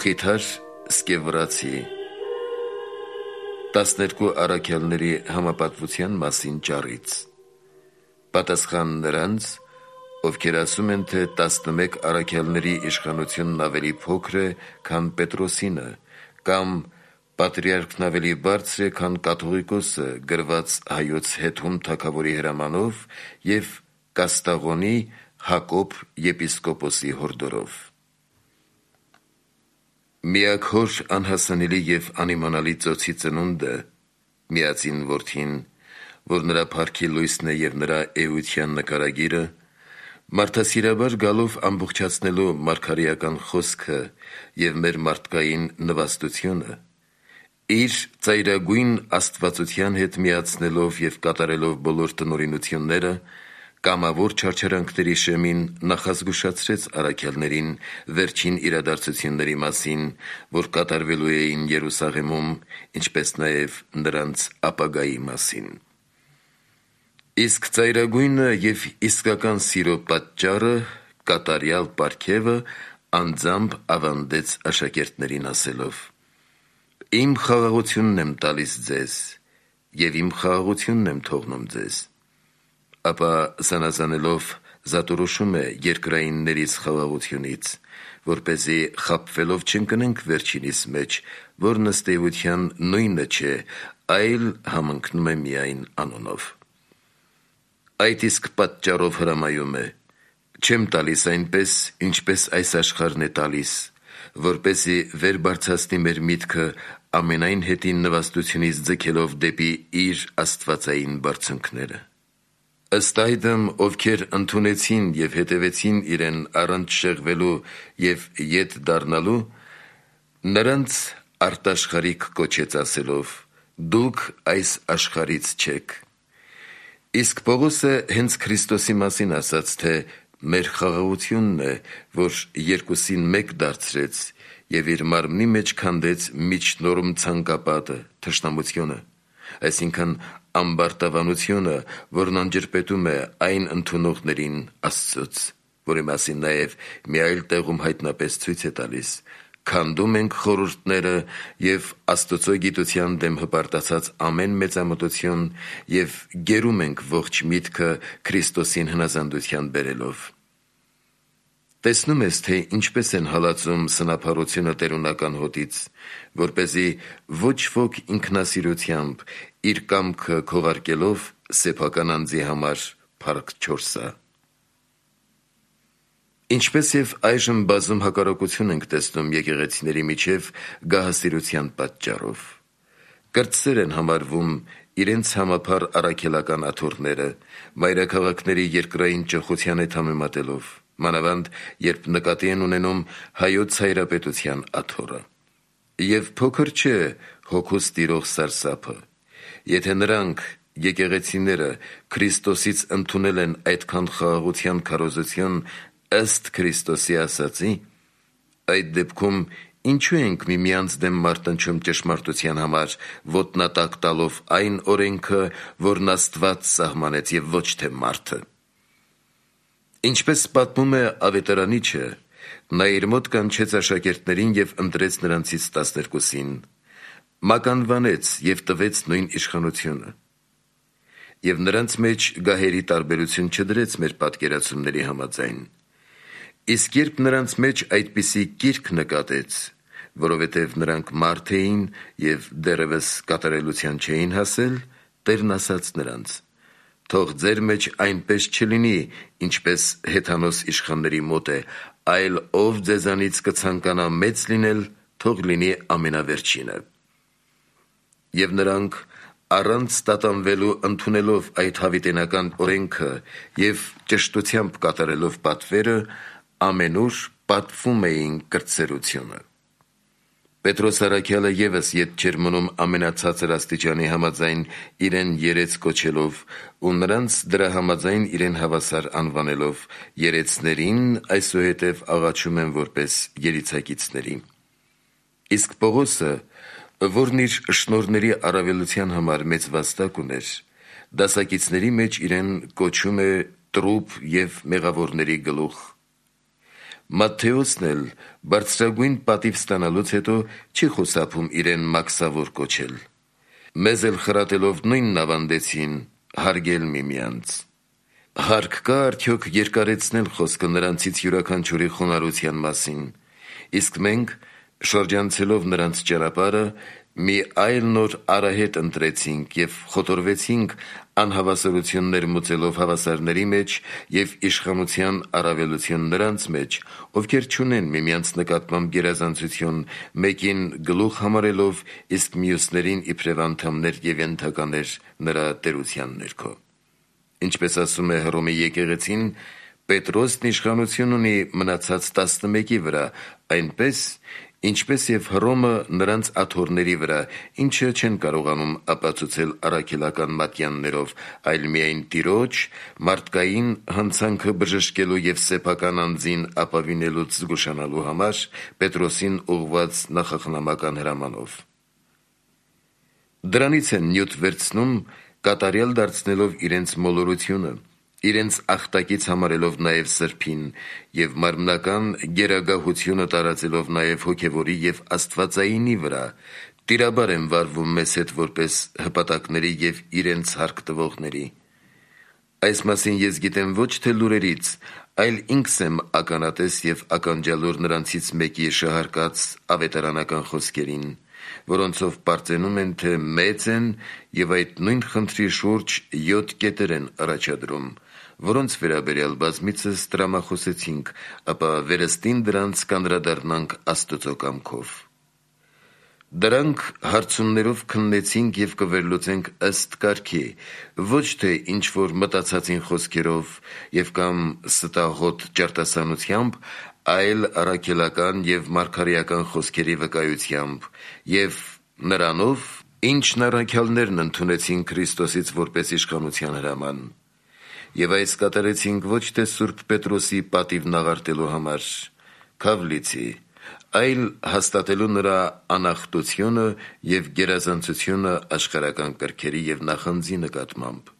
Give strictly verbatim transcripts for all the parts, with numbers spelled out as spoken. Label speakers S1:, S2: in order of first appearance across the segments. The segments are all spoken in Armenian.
S1: Մխիթար Սկևորացի տասներկու առաքյալների համապատվության մասին ճառից պատասխան նրանց, ովքեր ասում են, թե տասնմեկ առաքյալների իշխանությունն ավելի փոքր է, քան Պետրոսինը, կամ պատրիարքն ավելի բարձր է, քան կաթողիկոսը գրված հայոց Հեթում թագավորի հրամանով և Կաստաղոնի Հակոբ եպիսկոպոսի հորդորով։ Միակ-հոր անհասանելի և անիմանալի ծոցի ծնունդը, միածին որդին, որ նրա փառքի լույսն է և նրա էության նկարագիրը, մարդասիրաբար գալով ամբողջացնելու մարգարեական խոսքը և մեր մարդկային նվաստությունը, իր ծայրագույն աստվածության հետ միացնելով և կատարելով բոլոր տնօրինությունները, կամավոր չարչարանքների շեմին նախազգուշացրեց առաքյալներին վերջին իրադարձությունների մասին, որ կատարվելու էին Երուսաղեմում, ինչպես նաև նրանց ապագայի մասին։ Իսկ ծայրագույնը և իսկական սիրո պատճառը, կատարյալ պարգևը անձամբ ավանդեց աշակերտներին ասելով. «Իմ խաղաղությունն եմ տալիս ձեզ, և իմ խաղաղությունն եմ թողնում ձեզ», ապա զանազանելով զատորոշում է երկրայիններից խաղաղությունից, որպեսզի խաբվելով չընկնենք վերջինիս մեջ, որն ըստ էության նույնը չէ, այլ համընկնում է միայն անունով։ Այդ իսկ պատճառով հրամայում է. «Չեմ տալիս այնպես, ինչպես այս աշխարհն է տալիս, որպեսզի վեր բարձրացնի մեր միտքը ամենայն հետին նվաստությունից ձգելով դեպի իր աստվածային բարձունքները։ Ըստ այդմ, ովքեր ընդունեցին և հետևեցին իրեն առանց շեղվելու և ետ դառնալու, նրանց արտաշխարհիկ կոչեց ասելով. «Դուք այս աշխարհից չեք»։ Իսկ Պողոսը հենց Քրիստոսի մասին ասաց, թե մեր խաղաղությունն է, որ երկուսին մեկ դարձրեց և իր մարմնի մեջ քանդեց միջնորմ ցանկապատը, թշնամությունը, այսինքն ամբարտավանությունը, որն անջրպետում է այն ընդունողներին Աստծուց, որի մասին նաև մի այլ տեղում հայտնապես ցույց է տալիս. «Քանդում ենք խորհուրդները և Աստծո գիտության դեմ հպարտացած ամեն մեծամտություն և գերում ենք ողջ միտքը Քրիստոսին հնազանդության բերելով»։ Տեսնում ես, թե ինչպես են հալածում սնափառությունը տերունական հոտից, որպեսզի ոչ ոք ինքնասիրությամբ իր կամքը քողարկելով սեփական անձի համար փառք չորսա։ Ինչպես և այժմ բազում հակառակություն ենք տեսնում եկեղեցիների միջև գահասիրության պատճառով։ Կրտսեր են համարվում իրենց համապար առաքելական աթոռները, մայրաքաղաքների երկրային ճոխության հետ համեմատելով, մանավանդ երբ նկատի են ունենում հայոց հայրապետության աթոռը։ Եվ փոքր չէ հոգուց տիրող սարսափը, եթե նրանք, եկեղեցիները, Քրիստոսից ընդունել են այդքան խաղաղության քարոզություն ըստ Քրիստոսի ասածի, այդ դեպքում ինչու ենք միմյանց դեմ մարտնչում ճշմարտության համար, ոտնատակ տալով այն օրենքը, որն Աստված սահմանեց և ոչ թե մարդը։ Ինչպես պատմում է ավետարանիչը, նա իր մոտ կանչեց աշակերտներին և ընտրեց նրանցից տասներկուսին, մականվանեց և տվեց նույն իշխանությունը։ Եվ նրանց մեջ գահերի տարբերություն չդրեց մեր պատկերացումների համաձայն։ Իսկ երբ նրանց մեջ այդպիսի կիրք նկատեց, որովհետև նրանք մարդ էին և դեռևս կատարելության չէին հասել, Տերն ասաց նրանց. «Թող ձեր մեջ այնպես չլինի, ինչպես հեթանոս իշխանների մոտ է, այլ ով ձեզանից կցանկանա մեծ լինել, թող լինի ամենավերջինը»։ Եվ նրանք, առանց տատանվելու ընդունելով այդ հավիտենական օրենքը և ճշտությամբ կատարելով պատվերը, ամենուր պատվում էին կրտսերությունը։ Պետրոս առաքյալը ևս ետ չէր մնում ամենացածր աստիճանի համաձայն իրեն երեց կոչելով ու նրանց դրա համաձայն իրեն հավասար անվանելով, երեցներին այսուհետև աղաչում են որպես երիցակիցների։ Իսկ Պողոսը, որն իր շնորհների առավելության համար մեծ վաստակ ուներ, դասակիցների մեջ իրեն կոչում է տրուփ և մեղավորների գլուխ, Մատթեոսն էլ բարձրագույն պատիվ ստանալուց հետո չի խուսափում իրեն մաքսավոր կոչել։ Մեզ էլ խրատելով նույնն ավանդեցին հարգել միմյանց։ Հարկ կա արդյոք երկարեցնել խոսքը նրանցից յուրաքանչյուրի խոնարհության մասին, իսկ մենք, շրջանցելով նրանց ճանապարհը, մի այլ նոր արահետ ընտրեցինք և խոտորվեցինք անհավասարություններ մուծելով հավասարների մեջ և իշխանության առավելություն նրանց մեջ, ովքեր չունեն միմյանց նկատմամբ գերազանցություն, մեկին գլուխ համարելով, իսկ մյուսներին իբրև անդամներ և ենթականեր նրա տերության ներքո։ Ինչպես ասում է Հռոմի եկեղեցին, Պետրոսն իշխանություն ունի մնացած տասնմեկի վրա, այնպես, ինչպես և Հռոմը նրանց աթոռների վրա, ինչը չեն կարողանում ապացուցել առաքելական մատյաններով, այլ միայն Տիրոջ, մարդկային հանցանքը բժշկելու և սեփական անձին ապավինելուց զգուշանալու համար Պետրոսին ուղղված նախախնամական հրամանով։ Դրանից են նյութ վերցնում, կատարյալ դարձնելով իրենց մոլորությունը, իրենց ախտակից համարելով նաև սրբին և մարմնական գերագահությունը տարածելով նաև հոգևորի և աստվածայինի վրա, տիրաբար են վարվում մեզ հետ որպես հպատակների և իրենց հարկ տվողների։ Այս մասին ես գիտեմ ոչ թե լուրերից, այլ ինքս եմ ականատես և ականջալուր նրանցից մեկի շահարկած ավետարանական խոսքերին, որոնցով պարծենում են, թե մեծ են և այդ նույն խնդրի շուրջ յոթ կետեր են առաջադրում, որոնց վերաբերյալ բազմիցս տրամախոսեցինք, ապա վերստին դրանց կանդրադառնանք Աստծո կամքով։ Դրանք հարցումներով քննեցինք և կվերլուծենք ըստ կարգի, ոչ թե ինչ-որ մտածածին խոսքերով և կամ ստահոդ ճարտասանությամբ, այլ առաքելական և մարգարեական խոսքերի վկայությամբ և նրանով, ինչն առաքյալներն ընդունեցին Քրիստոսից որպես իշխանության հրաման։ Եվ այս կատարեցինք ոչ թե սուրբ Պետրոսի պատիվն աղարտելու համար, Քավլիցի, այլ հաստատելու նրա անախտությունը և գերազանցությունը աշխարհական կրքերի և նախանձի նկատմամբ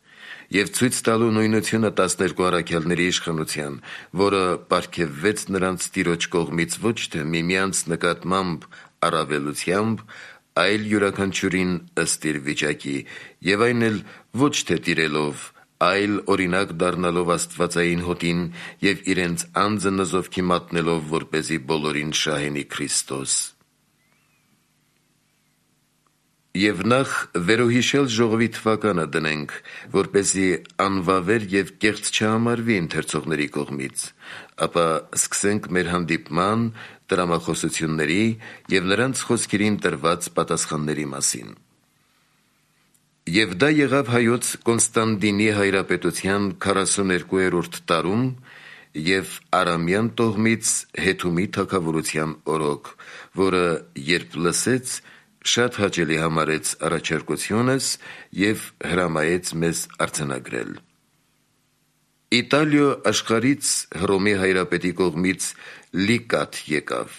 S1: և ցույց տալու նույնությունը տասներկու առաքյալների իշխանության, որը պարգևվեց նրանց Տիրոջ կողմից ոչ թե միմյանց նկատմամբ առավելությամբ, այլ յուրաքանչյուրին ըստ իր վիճակի, և այն էլ ոչ թե տիրելով, այլ օրինակ դառնալով աստվածային հոտին և իրենց անձը նզովքի մատնելով, որպեսզի բոլորին շահենի Քրիստոս։ Եվ նախ վերոհիշել ժողովի թվականը դնենք, որպեսզի անվավեր և կեղծ չհամարվի ընթերցողների կողմից, ապա սկսենք մեր հանդիպման, տրամախոսությունների և նրանց խոսքերին տրված պատասխանների մասին։ Եվ դա եղավ հայոց Կոնստանդինի հայրապետության քառասուներկուերորդ տարում և Արամյան տոհմից Հեթումի թագավորության օրոք, որը երբ լսեց, շատ հաճելի համարեց առաջարկությունս և հրամայեց մեզ արձանագրել։ Իտալիո աշխարհից Հռոմի հայրապետի կողմից լիկատ եկավ։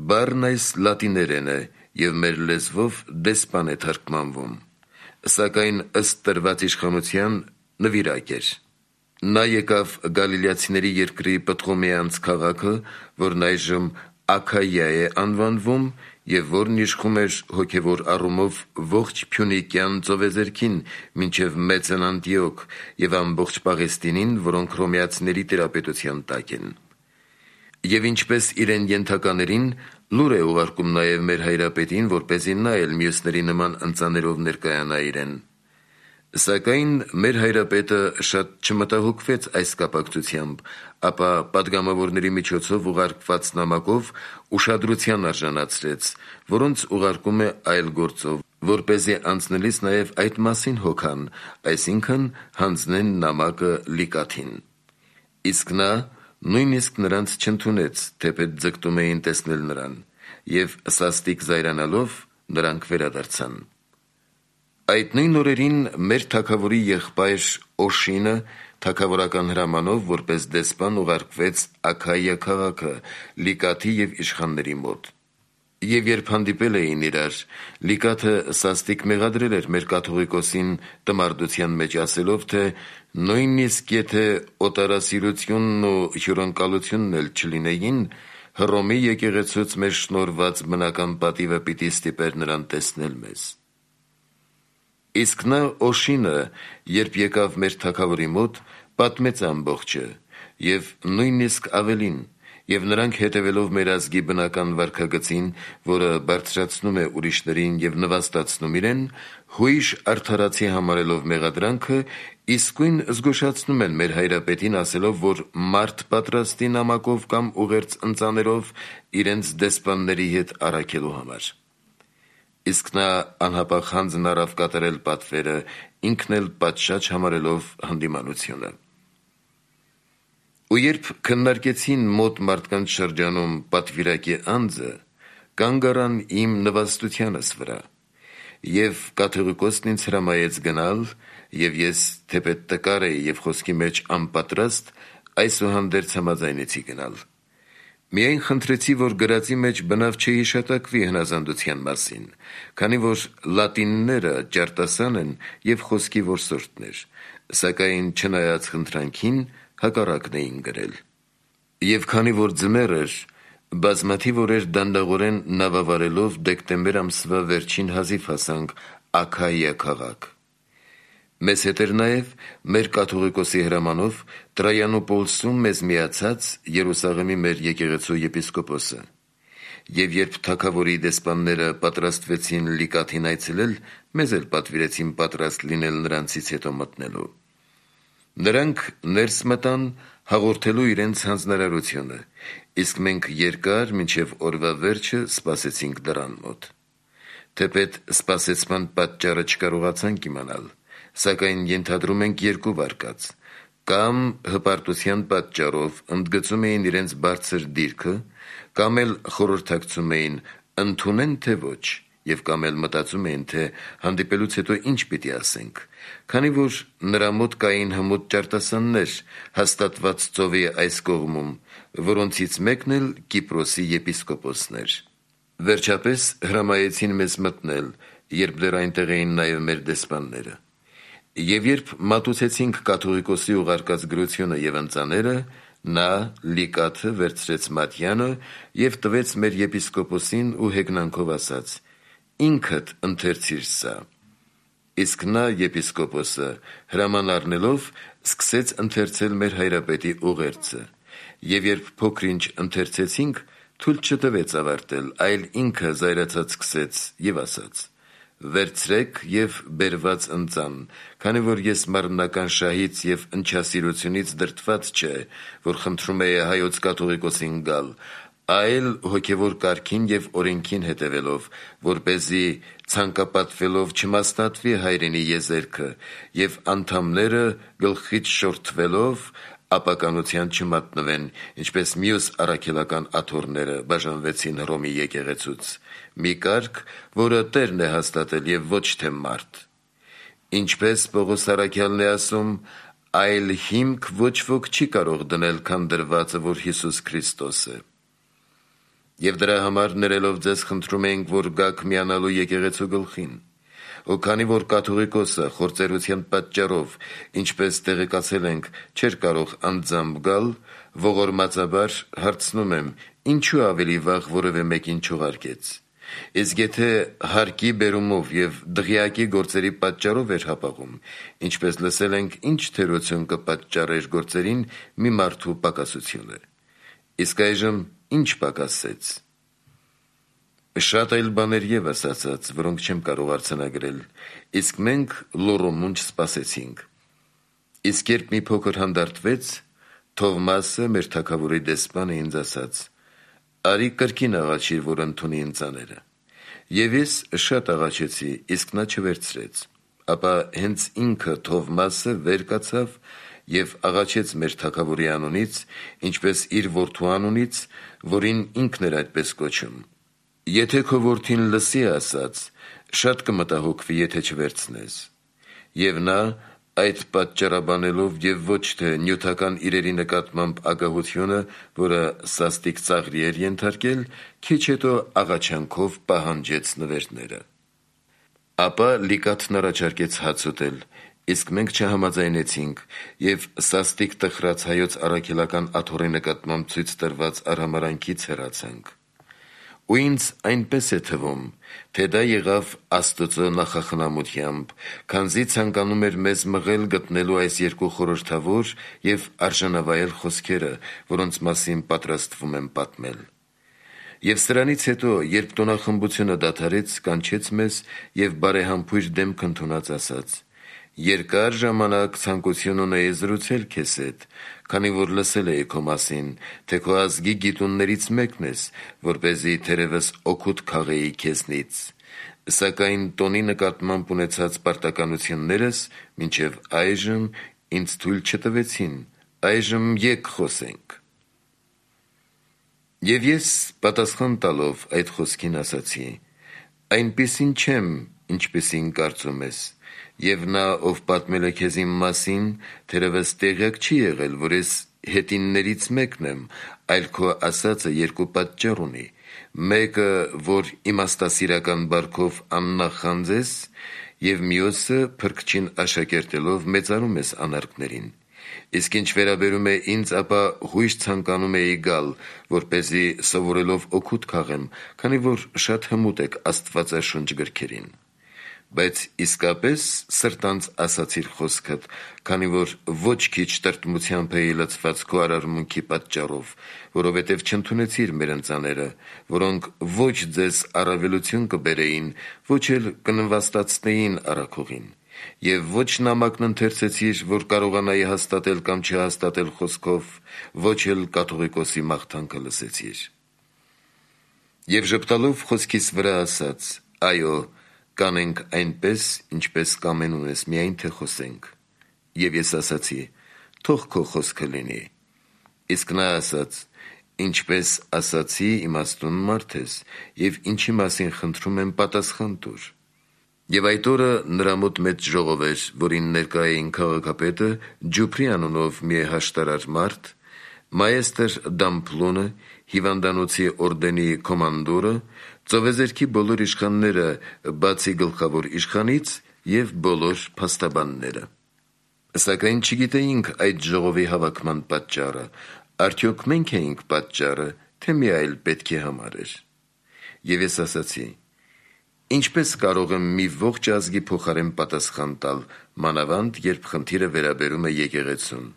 S1: Բառն այս լատիներեն է և մեր լեզվով դեսպան է թարգմանվում, սակայն ըստ տրված իշխանության նվիրակ էր։ Նա եկավ գալիլեացիների երկրի Պտղոմեանց քաղաքը, որն այժմ Աքայիա է անվանվում և որն իշխում էր հոգևոր առումով ողջ Փյունիկյան ծովեզերքին մինչև Մեծն Անտիոք և ամբողջ Պաղեստինին, որոնք հռոմեացիների տիրապետության տակ են։ Եվ ինչպես իրեն ենթականերին, լուր է ուղարկում նաև մեր հայրապետին, որպեսզի նա էլ մյուսների նման ընծաներով ներկայանա իրեն։ Սակայն մեր հայրապետը շատ չմտահոգվեց այս կապակցությամբ, ապա պատգամավորների միջոցով ուղարկված նամակով ուշադրության արժանացրեց, որոնց ուղարկում է այլ գործով, որպեսզի անցնելիս նաև այդ մասին հոգան, այսինքն հանձնեն նամակը լիկաթին։ Իսկ նա նույնիսկ նրանց չընդունեց, թեպետ ձգտում էին տեսնել նրան, և սաստիկ զայրանալով նրանք վերադարձան։ Այդ նույն օրերին մեր թագավորի եղբայր Օշինը թագավորական հրամանով որպես դեսպան ուղարկվեց Աքայիա քաղաքը, լիկաթի և իշխանների մոտ։ Եվ երբ հանդիպել էին իրար, Լիկաթը սաստիկ մեղադրել էր մեր կաթողիկոսին տմարդության մեջ ասելով, թե նույնիսկ եթե օտարասիրությունն ու հյուրընկալությունն էլ չլինեին, Հռոմի եկեղեցուց մեր շնորհված բնական պատիվը պիտի ստիպեր նրան տեսնել մեզ։ Իսկ նա Օշինը, երբ եկավ մեր թագավորի մոտ, պատմեց ամբողջը, և նույնիսկ ավելին, և նրանք հետևելով մեր ազգի բնական վարքագծին, որը բարձրացնում է ուրիշներին և նվաստացնում իրեն, հույժ արդարացի համարելով մեղադրանքը, իսկույն զգուշացնում են մեր հայրապետին ասելով, որ մարդ պատրաստի նամակով կամ ուղերձ ընծաներով իրենց դեսպանների հետ առաքելու համար։ Իսկ նա անհապաղ հանձն առավ կատարել պատվերը, ինքն էլ պատշաճ համարելով հանդիմանությունը։ Ու երբ քննարկեցին մոտ մարդկանց շրջանում պատվիրակի անձը, կանգ առան իմ նվաստությանս վրա, և կաթողիկոսն ինձ հրամայեց գնալ, և ես թեպետ տկար էի և խոսքի մեջ անպատրաստ, այսուհանդերձ համաձայնեցի գնալ։ Միայն խնդրեցի, որ գրածի մեջ բնավ չհիշատակվի հնազանդության մասին, քանի որ լատինները ճարտասան են և խոսքի որսորդներ, սակայն չնայած խնդրանքին, հակառակն էին գրել։ Եվ քանի որ ձմեռ էր, բազմաթիվ օրեր դանդաղորեն նավավարելով դեկտեմբեր ամսվա վերջին հազիվ հասանք Աքայիա քաղաք։ Մեզ հետ էր նաև մեր կաթողիկոսի հրամանով Տրայանոպոլսում մեզ միացած Երուսաղեմի մեր եկեղեցու եպիսկոպոսը։ Եվ երբ թագավորի դեսպանները պատրաստվեցին Լիկաթին այցելել, մեզ էլ պատվիրեցին պատրաստ լինել նրանցից հետո մտնելու։ Նրանք ներս մտան հաղորդելու իրենց հանձնարարությունը, իսկ մենք երկար մինչև օրվա վերջը սպասեցինք դռան մոտ։ Թեպետ սպասեցման պատճառը չկարողացանք իմանալ, սակայն ենթադրում ենք երկու վարկած, կամ հպարտության պատճառով ընդգծում էին իրենց բարձր դիրքը, կամ էլ խորհրդակցում էին ընդունեն թե ոչ, և կամ էլ մտածում էին, թե հանդիպելուց հետո ինչ պիտի ասենք, քանի որ նրա մոտ կային հմուտ ճարտասաններ հաստատված ծովի այս կողմում, որոնցից մեկն էլ Կիպրոսի եպիսկոպոսն էր։ Վերջապես հրամայեցին մեզ մտնել, երբ դեռ այնտեղ էին նաև մեր դեսպանները։ Եվ երբ մատուցեցինք կաթողիկոսի ուղարկած գրությունը և ընծաները, նա Լիկաթը վերցրեց Մատյանը և տվեց մեր եպիսկոպոսին ու հեգնանքով ասաց. «Ինքդ ընթերցիր սա»։ Իսկ նա եպիսկոպոսը հրաման առնելով սկսեց ընթերցել մեր հայրապետի ուղերձը, և երբ փոքր-ինչ ընթերցեցինք, թույլ չտվեց ավարտել, այլ ինքը զայրացած սկսեց և ասաց. «Վերցրեք և բերված ընծան, քանի որ ես մարմնական շահից և ընչասիրությունից դրդված չէ, որ խնդրում էի հայոց կաթողիկոսին գալ, այլ հոգևոր կարգին և օրենքին հետևելով, որպեսզի ցանկապատվելով չմասնատվի հայրենի եզերքը և անդամները գլխից շորթվելով ապականության չմատնվեն, ինչպես մյուս առաքելական աթոռները բաժանվեցին Հռոմի եկեղեցուց, մի կարգ, որը Տերն է հաստատել և ոչ թե մարդ։ Ինչպես Պողոս առաքյալն է ասում, այլ հիմք ոչ ոք չի կարող դնել, քան դրվածը, որ Հիսուս Քրիստոս է։ Եվ դրա համար ներելով ձեզ խնդրում ենք, որ գաք միանալու եկեղեցու գլխին։ Ու քանի որ կաթողիկոսը խործերության պատճառով, ինչպես տեղեկացել ենք, չէր կարող անձամբ գալ, ողորմածաբար հարցնում եմ, ինչու ավելի վաղ որևէ մեկին չուղարկեց։ Իսկ եթե հարկի բերումով և դղյակի գործերի պատճառով էր հապաղում, ինչպես լսել ենք, ինչ թերություն կպատճառեր գործերին մի մարդու պակասությունը։ Իսկ այժմ ինչ պակասեց։ Շատ այլ բաներ ևս ասաց, որոնք չեմ կարող արձանագրել, իսկ մենք լոռոմունջ սպասեցինք։ Իսկ երբ մի փոքր հանդարտվեց, Թովմասը, մեր թագավորի դեսպանը, ինձ ասաց. «Արի կրկին աղաչիր, որ ընդունի ընծաները»։ Եվ ես շատ աղաչեցի, իսկ նա չվերցրեց։ Ապա հենց ինքը Թովմասը վեր կացավ և աղաչեց մեր թագավորի անունից, ինչպես իր որդու անունից, որին ինքն էր այդպես կոչում. «Եթե քո որդին լսի ասած, շատ կմտահոգվի, եթե չվերցնես»։ Եվ նա այդ պատճառաբանելով եւ ոչ թե նյութական իրերի նկատմամբ ագահությունը, որը սաստիկ ծաղրի էր ենթարկել, քիչ հետո աղաչանքով պահանջեց նվերները։ Ապա Լիկաթն առաջարկեց հաց ուտել, իսկ մենք չհամաձայնեցինք եւ սաստիկ տխրած հայոց առաքելական աթոռի նկատմամբ ցույց տրված արհամարանքից հեռացանք։ Ու ինձ այնպես է թվում, թե դա եղավ Աստծո նախախնամությամբ, քանզի ցանկանում էր մեզ մղել գտնելու այս երկու խորհրդավոր եւ արժանավայել խոսքերը, որոնց մասին պատրաստվում եմ պատմել։ Եվ սրանից հետո, երբ տոնախմբությունը դադարեց, կանչեց մեզ եւ բարեհամբույր դեմք ընդունած ասաց. «Երկար ժամանակ ցանկություն ունեի զրուցել քեզ հետ, քանի որ լսել էի քո մասին, թե քո ազգի գիտուններից մեկն ես, որպեսզի թերևս օգուտ քաղեի քեզնից, սակայն տոնի նկատմամբ ունեցած պարտականություններս մինչև այժմ ինձ թույլ չտվեցին, այժմ եկ խոսենք»։ Եվ ես պատասխան տալով այդ խոսքին ասացի. «Այնպիսին չեմ, ինչպիսին կարծում ես, եւ նա, ով պատմել է քեզ իմ մասին, թերևս տեղյակ չի եղել, որ ես հետիններից մեկն եմ, այլ քո ասածը երկու պատճառ ունի. մեկը, որ իմաստասիրական բարքով աննախանձ ես, եւ մյուսը, փրկչին աշակերտելով մեծարում ես անարգներին։ Իսկ ինչ վերաբերում է ինձ, ապա հույժ ցանկանում էի գալ, որպեսզի սովորելով օգուտ քաղեմ, քանի որ շատ հմուտ եք Աստվածաշունչ գրքերին։ Բայց իսկապես սրտանց ասացիր խոսքդ, քանի որ ոչ քիչ տրտմությամբ էի լցված քո արարմունքի պատճառով, որովհետև չընդունեցիր մեր ընծաները, որոնք ոչ ձեզ առավելություն կբերեին, ոչ էլ կնվաստացնեին առաքողին, եւ ոչ նամակն ընթերցեցիր, որ կարողանայի հաստատել կամ չհաստատել խոսքով, ոչ էլ կաթողիկոսի մաղթանքը լսեցիր։ Եվ ժպտալով խոսքիս վրա ասաց. «Այո, կանենք այնպես, ինչպես կամենում ես, միայն թե խոսենք»։ Եվ ես ասացի. «Թող քո խոսքը լինի»։ Իսկ նա ասաց. «Ինչպես ասացի, իմաստուն մարդ ես, եւ ինչի մասին խնդրում եմ, պատասխան տուր»։ Եվ այդ օրը նրա մոտ մեծ ժողով էր, որին ներկա էին քաղաքապետը, Ջուփրի անունով մի հաշտարար մարդ, մայեստր Դամփլոնը, հիվանդանոցի օրդենի կոմանդորը, ծովեզերքի բոլոր իշխանները, բացի գլխավոր իշխանից, եւ բոլոր փաստաբանները։ Սակայն չգիտեինք այդ ժողովի հավաքման պատճառը, արդյոք մենք էինք պատճառը, թե մի այլ պետքի համար էր։ Եվ ես ասացի. «Ինչպես կարող եմ մի ողջ ազգի փոխարեն պատասխան տալ, մանավանդ երբ խնդիրը վերաբերում է եկեղեցուն։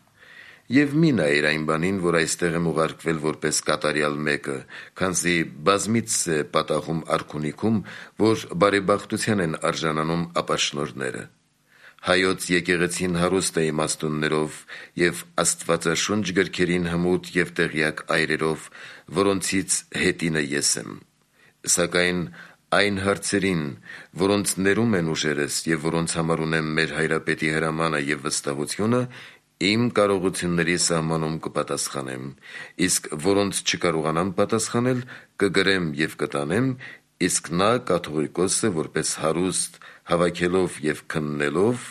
S1: Եվ մի նայիր այն բանին, որ այստեղ եմ ուղարկվել որպես կատարյալ մեկը, քանզի բազմիցս է պատահում արքունիքում, որ բարեբախտության են արժանանում ապաշնորհները։ Հայոց եկեղեցին հարուստ է իմաստուններով եւ Աստվածաշունչ գրքերին հմուտ եւ տեղյակ այրերով, որոնցից հետինը ես եմ։ Սակայն այն հարցերին, որոնց ներում են ուժերս եւ որոնց համար ունեմ մեր հայրապետի հրամանը եւ վստահությունը, իմ կարողությունների սահմանում կպատասխանեմ, իսկ որոնց չկարողանամ պատասխանել, կգրեմ եւ կտանեմ, իսկ նա կաթողիկոսը որպես հարուստ, հավաքելով եւ քննելով,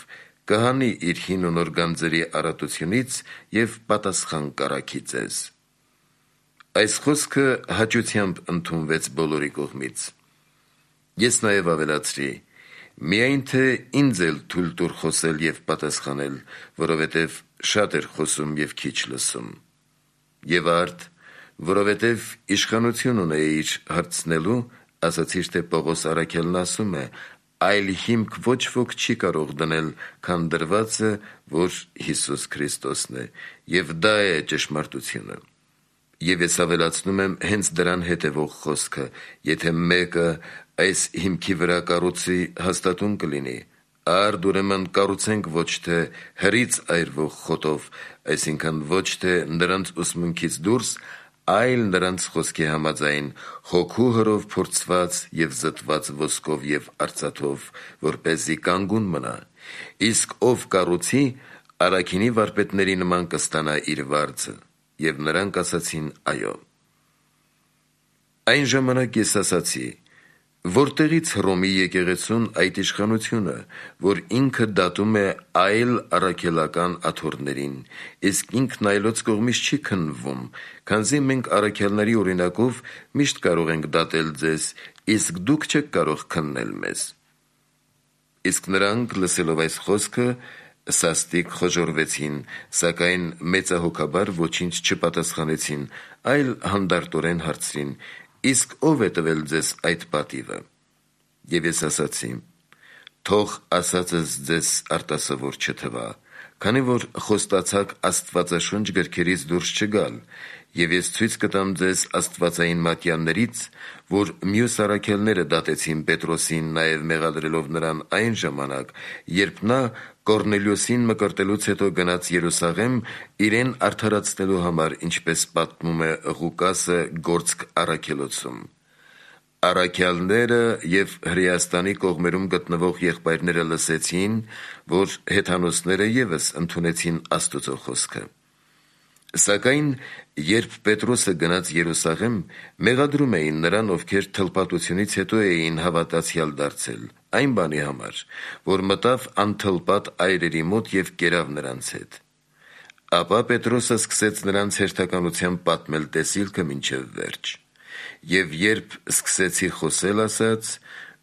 S1: կհանի իր հին ու նոր գանձերի առատությունից եւ պատասխան կառքի ձեզ»։ Այս խոսքը հաճությամբ ընդունվեց բոլորի կողմից։ Ես նաև ավելացրի. «Միայն թե ինձ էլ թույլ տուր խոսել եւ պատասխանել, որովհետեւ շատ էր խոսում եւ քիչ լսում»։ Եվ արդ, որովհետեւ իշխանություն ունեիր հարցնելու, ասացիր, թե Պողոս առաքյալն ասում է. «Այլ հիմք ոչ ոք չի կարող դնել, քան դրվածը, որ Հիսուս Քրիստոսն է, եւ դա է ճշմարտությունը»։ Եվ ես ավելացնում եմ հենց դրան հետևող խոսքը. «Եթե մեկը այս հիմքի վրա կառուցի, հաստատուն կլինի, արդ ուրեմն կառուցենք ոչ թե հրից այրվող խոտով, այսինքն ոչ թե նրանց ուսմունքից դուրս, այլ նրանց խոսքի համաձայն, հոգու հրով փորձված եւ զտված ոսկով եւ արծաթով, որպեսզի կանգուն մնա, իսկ ով կառուցի, առաքինի վարպետների նման կստանա իր վարձը»։ Եվ նրանք ասացին. «Այո»։ Այն ժամանակ ես ասացի. Որտեղից Հռոմի եկեղեցուն այդ իշխանությունը, որ ինքը դատում է այլ առաքելական աթոռներին, իսկ ինքն այլոց կողմից չի քննվում, քանզի մենք առաքյալների օրինակով միշտ կարող ենք դատել ձեզ, իսկ դուք չեք կարող քննել մեզ։ Իսկ նրանք, լսելով այս խոսքը, սաստիկ խոժոռվեցին, սակայն մեծահոգաբար ոչինչ չպատասխանեցին, այլ հանդարտորեն հարցրին. «Իսկ ով է տվել ձեզ այդ պատիվը»։ Եվ ես ասացի. «Թող ասածս ձեզ արտասովոր չթվա, քանի որ խոստացաք աստվածաշունչ գրքերից դուրս չգալ, եւ ես ցույց կտամ ձեզ աստվածային մատյաններից, որ մյուս առաքյալները դատեցին Պետրոսին, նաեւ մեղադրելով նրան այն ժամանակ, երբ նա Կորնելիոսին մկրտելուց հետո գնաց Երուսաղեմ իրեն արդարացնելու համար, ինչպես պատմում է Ղուկասը Գործք առաքելոցում։ Առաքյալները եւ Հրեաստանի կողմերում գտնվող եղբայրները լսեցին, որ հեթանոսները եւս ընդունեցին Աստծո խոսքը։ Սակայն երբ Պետրոսը գնաց Երուսաղեմ, մեղադրում էին նրան, ովքեր թլպատությունից հետո էին հավատացյալ դարձել, այն բանի համար, որ մտավ անթլպատ այրերի մոտ եւ կերավ նրանց հետ։ Ապա Պետրոսը սկսեց նրանց հերթականությամբ պատմել տեսիլքը մինչև վերջ։ Եվ երբ սկսեցի խոսել, ասաց,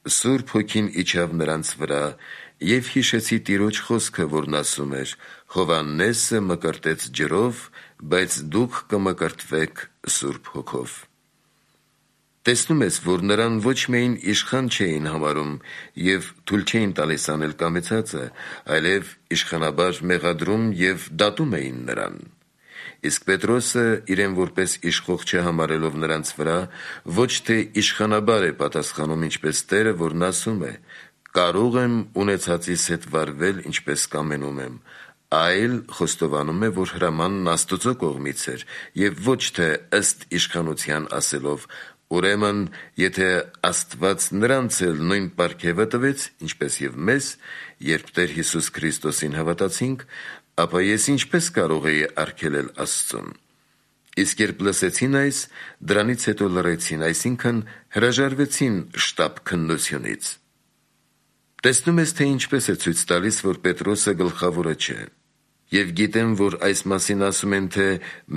S1: Սուրբ Հոգին իջավ նրանց վրա, եւ հիշեցի Տիրոջ խոսքը, որն ասում էր. «Հովհաննեսը մկրտեց ջրով, բայց դուք կմկրտվեք Սուրբ Հոգով»։ Տեսնում ես, որ նրան ոչ միայն իշխան չէին համարում եւ թույլ չէին տալիս անել կամեցածը, այլև իշխանաբար մեղադրում եւ դատում էին նրան։ Իսկ Պետրոսը իրեն որպես իշխող չհամարելով նրանց վրա, ոչ թե իշխանաբար է պատասխանում, ինչպես Տերը, որն ասում է. «Կարող եմ ունեցածիս հետ վարվել, ինչպես կամենում եմ», այլ խոստովանում է, որ հրամանն Աստծո կողմից էր եւ ոչ թե ըստ իշխանության ասելով. «Ուրեմն, եթե Աստված նրանց էլ նույն պարգևը տվեց, ինչպես եւ մեզ, երբ Տեր Հիսուս Քրիստոսին հավատացինք, ապա ես ինչպես կարող էի արգելել Աստծուն»։ Իսկ երբ լսեցին այս, դրանից հետո լռեցին, այսինքն հրաժարվեցին շտապ քննությունից։ Տեսնում ես, թե ինչպես է ցույց տալիս, որ Պետրոսը գլխավորը չէ։ Եվ գիտեմ, որ այս մասին ասում են, թե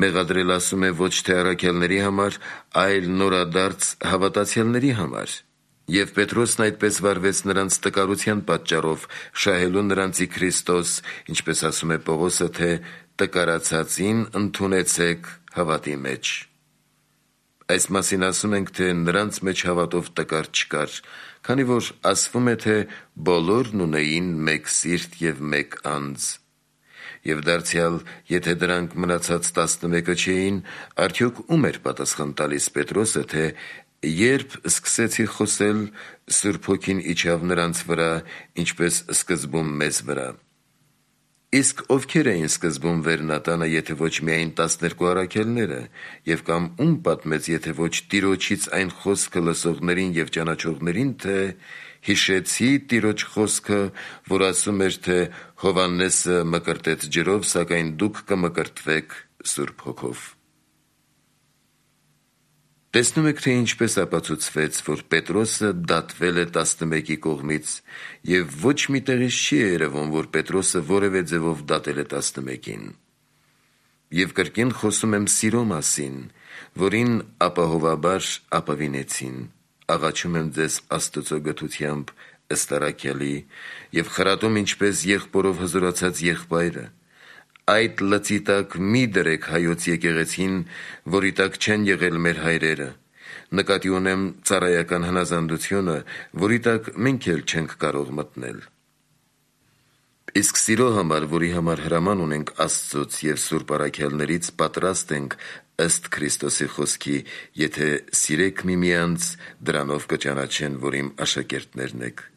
S1: մեղադրել ասում է ոչ թե առաքյալների համար, այլ նորադարձ հավատացյալների համար։ Եվ Պետրոսն այդպես վարվեց նրանց տկարության պատճառով, շահելու նրանցի Քրիստոս, ինչպես ասում է Պողոսը, թե տկարացածին ընդունեցեք հավատի մեջ։ Այս մասին ասում ենք, թե նրանց մեջ հավատով տկար չկար, քանի որ ասվում է, թե բոլորն ունեին մեկ սիրտ եւ մեկ անձ։ Եվ դարձյալ, եթե դրանք մնացած տասնմեկը չէին, արդյոք ում էր պատասխան տալիս Պետրոսը, թե երբ սկսեցի խոսել, Սուրբ Հոգին իջավ նրանց վրա, ինչպես սկզբում մեզ վրա։ Իսկ ովքեր էին սկզբում վերնատանը, եթե ոչ միայն տասներկու առաքյալները, եւ կամ ում պատմեց, եթե ոչ Տիրոջից այն խոսքը լսողներին եւ ճանաչողներին, թե հիշեցի Տիրոջ խոսքը, որ ասում էր, թե Հովհաննեսը մկրտեց ջրով, սակայն դուք կմկրտվեք Սուրբ Հոգով։ Տեսնում եք, թե ինչպես ապացուցվեց, որ Պետրոսը դատվել է տասնմեկի կողմից, եւ ոչ մի տեղից չի երևում, որ Պետրոսը որևէ ձևով դատել է տասնմեկին։ Եվ կրկին խոսում եմ սիրո մասին, որին ապահովաբար ապավինեցին, աղաչում եմ ձեզ Աստծո գթությամբ ըստ առաքյալի, եւ խրատում ինչպես եղբորով հզորացած եղբայրը. այդ լծի տակ մի դրեք հայոց եկեղեցին, որի տակ չեն եղել մեր հայրերը, նկատի ունեմ ծառայական հնազանդությունը, որի տակ մենք էլ չենք կարող մտնել։ Իսկ սիրո համար, որի համար հրաման ունենք Աստծոց եւ Սուրբ առաքյալներից, պատրաստ ենք ըստ Քրիստոսի խոսքի, եթե սիրեք միմյանց, դրանով կճանաչեն, որ իմ աշակերտներն եք։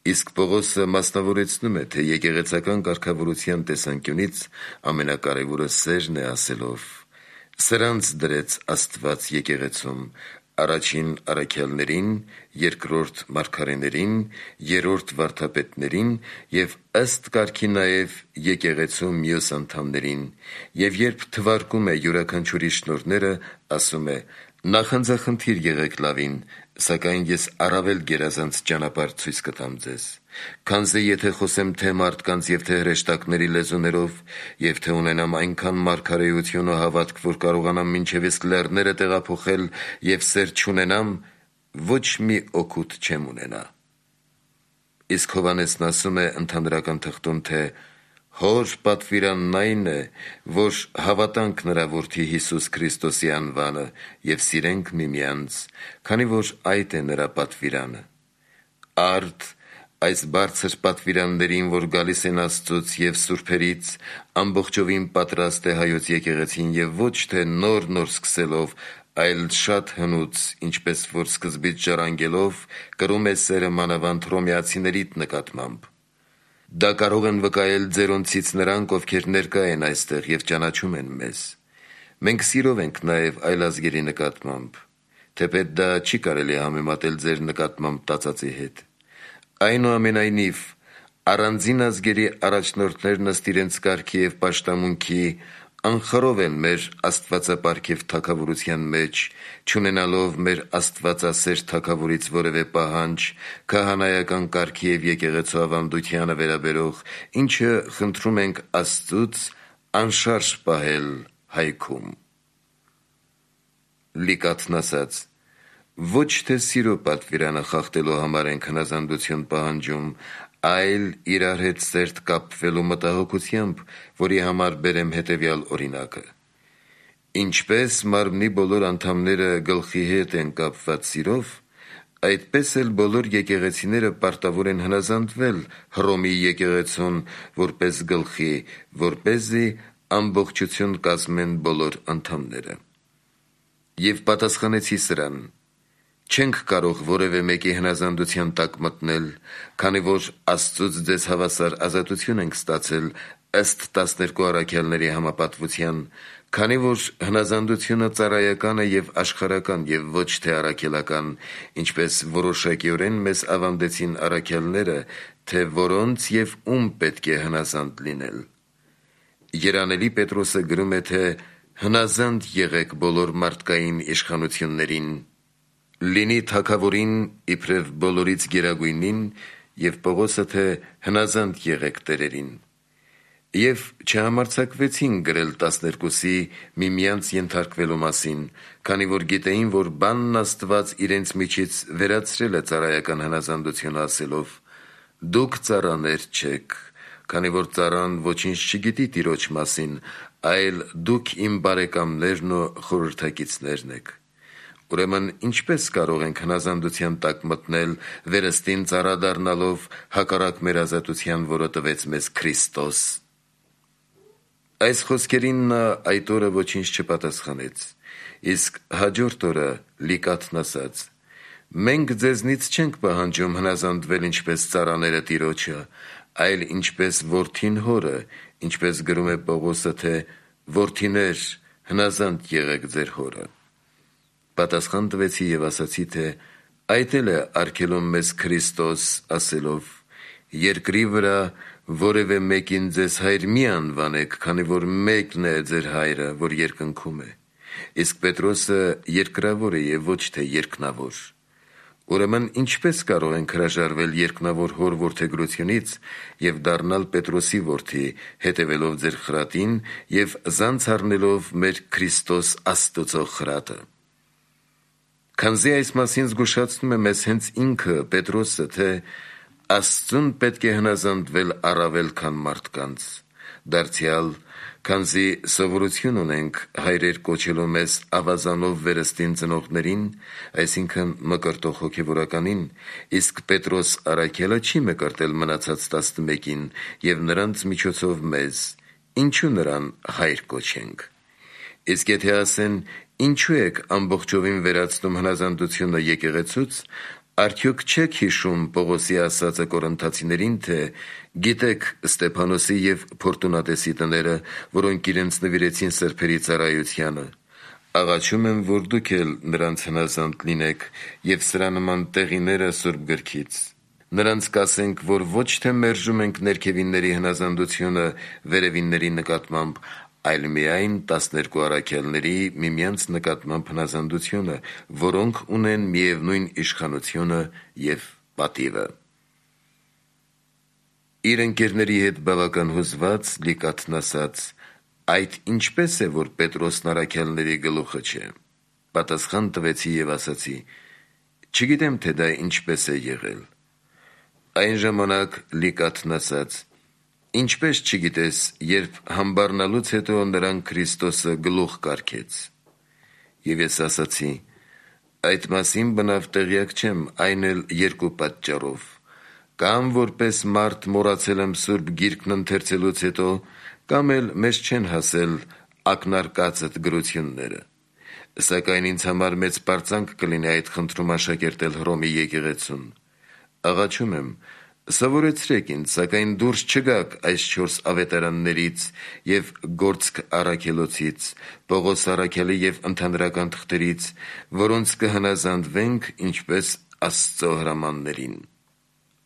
S1: Իսկ Պողոսը մասնավորեցնում է, թե եկեղեցական կարգավորության տեսանկյունից ամենակարևորը սերն է, ասելով. «Սրանց դրեց Աստված եկեղեցում, առաջին առաքյալներին, երկրորդ մարգարեներին, երրորդ վարդապետներին եւ ըստ կարգի նաեւ եկեղեցու մյուս անդամներին, եւ երբ թվարկում է յուրաքանչյուրի շնորհները, ասում է. նախանձախնդիր եղեք լավին, Սակայն ես առավել գերազանց ճանապարհ ցույց կտամ ձեզ, քանզի եթե խոսեմ թե մարդկանց և թե հրեշտակների լեզուներով, և թե ունենամ այնքան մարգարեություն ու հավատք, որ կարողանամ մինչև իսկ լեռները տեղափոխել և սեր չունենամ, ոչ մի օգուտ չեմ ունենա։ Իսկ Հովհաննեսն ասում է ընդհանրական թղթում, թե Հոր պատվիրանն այն է, որ հավատանք նրա Որդի Հիսուս Քրիստոսի անվանը և սիրենք միմյանց, քանի որ այդ է նրա պատվիրանը։ Արդ այս բարձր պատվիրաններին, որ գալիս են Աստծուց և սուրբերից, ամբողջովին պատրաստ է Հայոց եկեղեցին և ոչ թե նոր-նոր սկսելով, այլ շատ հնուց, ինչպես որ սկզբից ժառանգելով, կրում է սերը մանավանդ հռոմեացիներիդ նկատմամբ։ Դա կարող են վկայել ձերոնցից նրանք, ովքեր ներկա են այստեղ և ճանաչում են մեզ։ Մենք սիրով ենք նաև այլ ազգերի նկատմամբ, թեպետ դա չի կարելի համեմատել ձեր նկատմամբ տածածի հետ։ Այնուամենայնիվ, առանձին ազգերի առաջնորդներն ըստ իրենց կարգի և պաշտամունքի անխռով են մեր աստվածապարգև թագավորության մեջ, չունենալով մեր աստվածասեր թագավորից որևէ պահանջ քահանայական կարգի և եկեղեցու ավանդությանը վերաբերող, ինչը խնդրում ենք Աստծուց անշարժ պահել հայքում։ Լիկաթն ասաց. ոչ թե սիրո պատվիրանը խախտելու համար ենք հնազանդություն պահանջում, այլ իրար հետ սերտ կապվելու մտահոգությամբ, որի համար բերեմ հետևյալ օրինակը. ինչպես մարմնի բոլոր անդամները գլխի հետ են կապված սիրով, այդպես էլ բոլոր եկեղեցիները պարտավոր են հնազանդվել Հռոմի եկեղեցուն որպես գլխի, որպեսզի ամբողջություն կազմեն բոլոր անդամները։ Եվ պատասխանեցի սրան. չենք կարող որևէ մեկի հնազանդության տակ մտնել, քանի որ Աստծուց ձեզ հավասար ազատություն ենք ստացել ըստ տասներկու առաքյալների համապատվության, քանի որ հնազանդությունը ծառայական է և աշխարհական և ոչ թե առաքելական, ինչպես որոշակիորեն մեզ ավանդեցին առաքյալները, թե որոնց և ում պետք է հնազանդ լինել։ Երանելի Պետրոսը գրում է, թե հնազանդ եղեք բոլոր մարդկային իշխանություններին, լինի թագավորին իբրև բոլորից գերագույնին, և Պողոսը, թե հնազանդ եղեք տերերին։ Եվ չհամարձակվեցին գրել տասներկուսի միմյանց ենթարկվելու մասին, քանի որ գիտեին, որ բանն Աստված իրենց միջից վերացրել է ծառայական հնազանդությունը ասելով. դուք ծառաներ չեք, քանի որ ծառան ոչինչ չգիտի տիրոջ մասին, այլ դուք իմ բարեկամներն ու խորհրդակիցներն եք։ Ուրեմն ինչպե՞ս կարող ենք հնազանդության տակ մտնել, վերստին ծառա դառնալով հակառակ մեր ազատության, որը տվեց մեզ Քրիստոս։ Այս խոսքերին նա այդ օրը ոչինչ չպատասխանեց, իսկ հաջորդ օրը Լիկաթն ասաց. մենք ձեզնից չենք պահանջում հնազանդվել ինչպես ծառաները տիրոջը, այլ ինչպես որդին հորը, ինչպես գրում է Պողոսը, թե որդիներ, հնազանդ եղեք ձեր հորը։ Պատասխան տվեցի և ասացի, թե այդ էլ է արգելում մեզ Քրիստոս ասելով. երկրի վրա որևէ մեկին ձեզ հայր մի անվանեք, քանի որ մեկն է ձեր հայրը, որ երկնքում է, իսկ Պետրոսը երկրավոր է և ոչ թե երկնավոր։ Ուրեմն ինչպե՞ս կարող ենք հրաժարվել երկնավոր հոր որդեգրությունից և դառնալ Պետրոսի որդի, հետևելով ձեր խրատին և զանց առնելով մեր Քրիստոս Աստծո խրատը։ Քանզի այս մասին զգուշացնում է մեզ հենց ինքը Պետրոսը, թե Աստծուն պետք է հնազանդվել առավել, քան մարդկանց, դարձյալ, քանզի սովորություն ունենք հայրեր կոչելու մեզ ավազանով վերստին ծնողներին, այսինքն մկրտող հոգևորականին, իսկ Պետրոս առաքյալը չի մկրտել մնացած տասնմեկին և նրանց միջոցով մեզ, ինչու նրան հայր կոչենք։ Իսկ եթե ասեն, ինչու եք ամբողջովին վերացնում հնազանդությունը եկեղեցուց, արդյոք չեք հիշում Պողոսի ասածը Կորինթացիներին, թե գիտեք Ստեփանոսի և Ֆորտունատեսի տները, որոնք իրենց նվիրեցին սրբերի ծառայությանը, աղաչում եմ, որ դուք էլ նրանց հնազանդ լինեք և սրա նման տեղիները Սուրբ գրքից։ Նրանց կասենք, որ ոչ թե մերժում ենք ներքևինների հնազանդությունը վերևինների նկատմամբ, այլ միայն տասներկու առաքյալների միմյանց նկատմամբ հնազանդությունը, որոնք ունեն միևնույն իշխանությունը և պատիվը։ Իր ընկերների հետ բավական հուզված Լիկաթն ասաց. «Այդ ինչպե՞ս է, որ Պետրոսն առաքյալների գլուխը չէ»։ Պատասխան տվեցի և ասացի. «Չգիտեմ, թե դա ինչպես է եղել»։ Այն ժամանակ Լիկաթն ասաց. «Ինչպես չգիտես, երբ համբառնալուց հետո նրան Քրիստոսը գլուխ կարգեց»։ Եվ ես ասացի. «Այդ մասին բնավ տեղյակ չեմ, այն էլ երկու պատճառով. կամ որպես մարդ մոռացել եմ Սուրբ Գիրքն ընթերցելուց հետո, կամ էլ մեզ չեն հասել ակնարկածդ գրությունները։ Սակայն ինձ համար մեծ պարծանք կլինի այդ խնդրում աշակերտել Հռոմի եկեղեցուն։ Աղաչում եմ, սովորեցրեք ինձ, սակայն դուրս չգաք այս չորս ավետարաններից և Գործք առաքելոցից, Պողոս առաքյալի և ընդհանրական թղթերից, որոնց կհնազանդվենք ինչպես Աստծո հրամաններին»։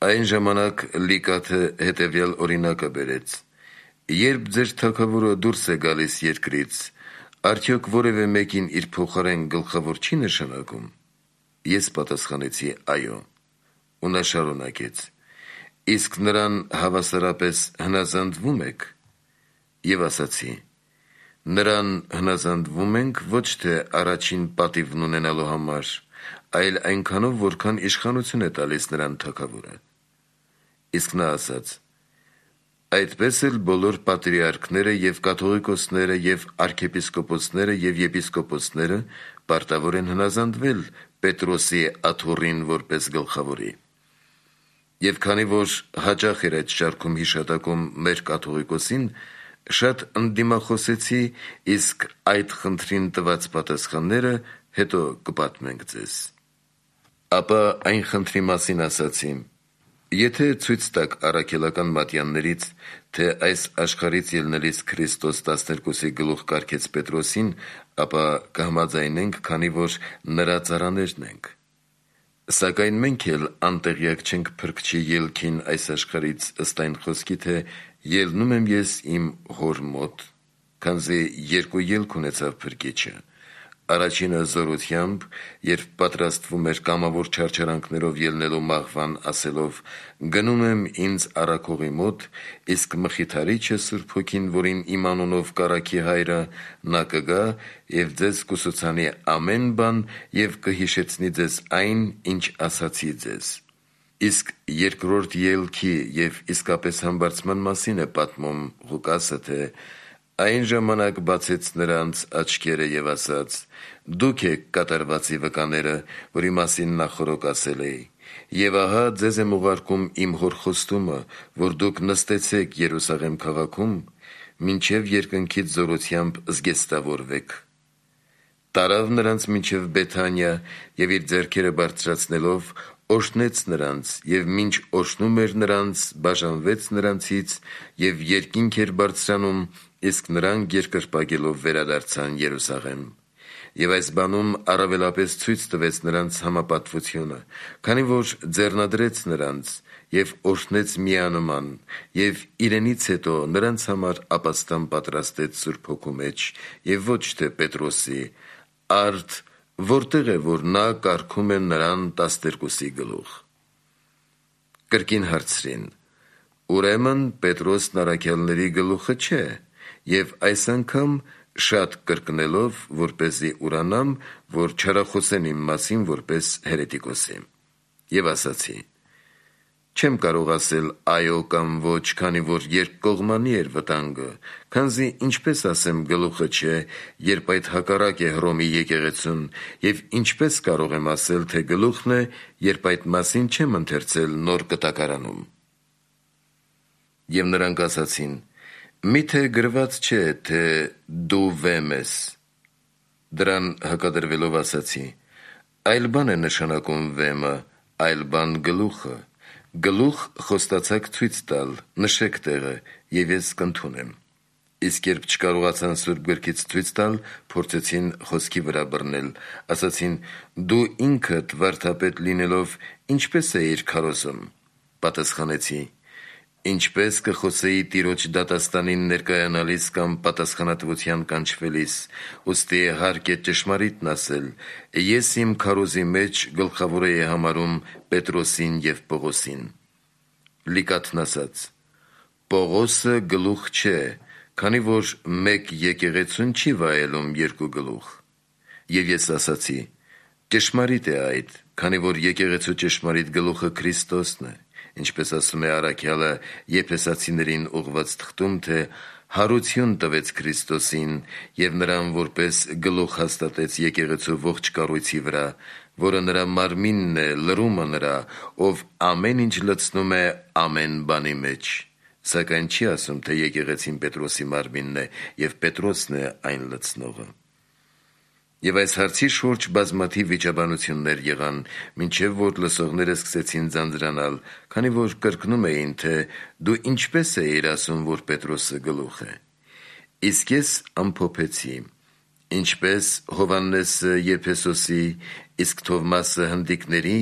S1: Այն ժամանակ Լիկաթը հետևյալ օրինակը բերեց. «Երբ ձեր թագավորը դուրս է գալիս երկրից, արդյոք որևէ մեկին իր փոխարեն գլխավոր չի նշանակում»։ Ես պատասխանեցի. «Այո»։ Ու նա շարունակեց. «Իսկ նրան հավասարապես հնազանդվում եք»։ Եվ ասացի. «Նրան հնազանդվում ենք ոչ թե առաջին պատիվն ունենալու համար, այլ այնքանով, որքան իշխանություն է տալիս նրան թագավորը»։ Իսկ նա ասաց. «Այդպես էլ բոլոր պատրիարքները և կաթողիկոսները և արքեպիսկոպոսները և եպիսկոպոսները պարտավոր են հնազանդվել Պետրոսի աթոռին որպես գլխավորի»։ Եվ քանի որ հաճախ էր այդ շարքում հիշատակում մեր կաթողիկոսին, շատ ընդդիմախոսեցի, իսկ այդ խնդրին տված պատասխանները հետո կպատմենք ձեզ։ Ապա այն խնդրի մասին ասացի. «Եթե ցույց տաք առաքելական մատյաններից, թե այս աշխարհից ելնելիս Քրիստոս տասներկուսի գլուխ կարգեց Պետրոսին, ապա կհամաձայնենք, քանի որ նրա ծառաներն ենք։ Սակայն մենք էլ անտեղյակ չենք Փրկչի ելքին այս աշխարհից ըստ այն խոսքի, թե ելնում եմ ես իմ Հոր մոտ, քանզի երկու ելք ունեցավ Փրկիչը. առաջինը զորությամբ, երբ պատրաստվում էր կամավոր չարչարանքներով ելնելու մահվան, ասելով. «Գնում եմ ինձ առաքողի մոտ, իսկ Մխիթարիչը, Սուրբ Հոգին, որին իմ անունով կառաքի Հայրը, նա կգա և ձեզ կուսուցանի ամեն բան և կհիշեցնի ձեզ այն, ինչ ասացի ձեզ»։ Իսկ երկրորդ ելքի և իսկապես համբարձման մասին է պատմում Ղուկասը, թե «Այն ժամանակ բացեց նրանց աչքերը և ասաց. «Դուք եք կատարվածի վկաները, որի մասին նախօրոք ասել էի. և ահա ձեզ եմ ուղարկում իմ Հոր խոստումը, որ դուք նստեցեք Երուսաղեմ քաղաքում, մինչև երկնքից զորությամբ զգեստավորվեք»։ Տարավ նրանց մինչև Բեթանիա և իր ձեռքերը բարձրացնելով օրհնեց նրանց և մինչ օրհնում էր նրանց, բաժանվեց նրանցից և երկինք էր բարձրանում, իսկ նրանք երկրպագելով վերադարձան Երուսաղեմ։ Եվ այս բանում առավելապես ցույց տվեց նրանց համապատվությունը, քանի որ ձեռնադրեց նրանց և օրհնեց միանման և իրենից հետո նրանց համար ապաստան պատրաստեց Սուրբ Հոգու մեջ և ոչ թե Պետրոսի, արդ որտեղ է, որ նա կարգում է նրան տասներկուսի գլուխ։ Կրկին հարցրին. «Ուրեմն Պետրոսն առաքյալների գլուխը չէ»։ Եվ այս անգամ շատ կրկնելով, որպեսզի ուրանամ, որ չարախոսեն իմ մասին որպես հերետիկոսի։ Եվ ասացի. «Չեմ կարող ասել այո կամ ոչ, քանի որ երկկողմանի էր վտանգը, քանզի ինչպես ասեմ գլուխը չէ, երբ այդ հակառակ է Հռոմի եկեղեցուն, և ինչպես կարող եմ ասել, թե գլուխն է, երբ այդ մասին չեմ ընթերցել Նոր Կտակարանում»։ Եվ նրանք ասացին. «Միթե գրված չէ, թե դու վեմ ես»։ Դրան հակադրվելով ասացի. «Այլ բան է նշանակում վեմը, այլ բան գլուխը։ Գլուխ խոստացաք ցույց տալ, նշեք տեղը, և ես կընդունեմ»։ Իսկ երբ չկարողացան Սուրբ Գրքից ցույց տալ, փորձեցին խոսքի վրա բռնել, ասացին. «Դու ինքդ վարդապետ լինելով, ինչպե՞ս էիր քարոզում»։ Պատասխանեցի. Ինչպես կխոսեի տիրոջ դատաստանին ներկայանալիս կամ պատասխանատվության կանչվելիս, ուստի հարկ է ճշմարիտն ասել, ես իմ քարոզի մեջ գլխավոր էի համարում Պետրոսին և Պողոսին։ Լիկաթն ասաց. Պողոսը գլուխ չէ, քանի որ մեկ եկեղեցուն չի վայելում երկու գլուխ։ Եվ ես ասացի. ճշմարիտ է այդ, քանի որ եկեղեցու ճշմարիտ գլուխը Քրիստոսն է, ինչպես ասում է առաքյալը Եփեսացիներին ուղղված թղթում, թե հարություն տվեց Քրիստոսին և նրան որպես գլուխ հաստատեց եկեղեցու ողջ կառույցի վրա, որը նրա մարմինն է, լրումը նրա, ով ամեն ինչ լցնում է ամեն բանի մեջ։ Սակայն չի ասում, թե եկեղեցին Պետրոսի մարմինն է և Պետրոսն է այն լցնողը։ Եվ այս հարցի շուրջ բազմաթիվ վիճաբանություններ եղան, մինչև որ լսողները սկսեցին ձանձրանալ, քանի որ կրկնում էին, թե դու ինչպես էիր ասում, որ Պետրոսը գլուխ է։ Իսկ ես ամփոփեցի. ինչպես Հովհաննեսը Եփեսոսի, իսկ Թովմասը հնդիկների,